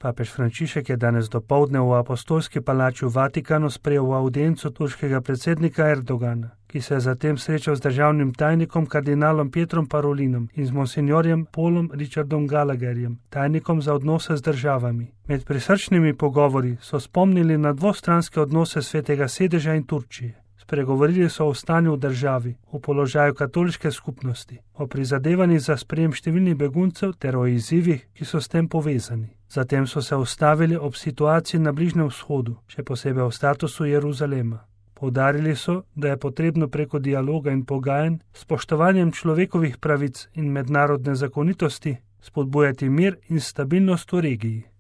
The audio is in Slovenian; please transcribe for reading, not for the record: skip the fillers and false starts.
Papež Frančišek je danes dopoldne v apostolski palači v Vatikanu sprejel audienco turškega predsednika Erdogana, ki se je zatem srečal z državnim tajnikom kardinalom Pietrom Parolinom in z monsinjorjem Paulom Richardom Gallagherjem, tajnikom za odnose z državami. Med prisrčnimi pogovori so spomnili na dvostranske odnose Svetega sedeža in Turčije. Spregovorili so o stanju v državi, o položaju katoliške skupnosti, o prizadevanjih za sprejem številnih beguncev ter o izzivih, ki so s tem povezani. Zatem so se ustavili ob situaciji na Bližnjem vzhodu, še posebej o statusu Jeruzalema. Poudarili so, da je potrebno preko dialoga in pogajanj, spoštovanjem človekovih pravic in mednarodne zakonitosti, spodbujati mir in stabilnost v regiji.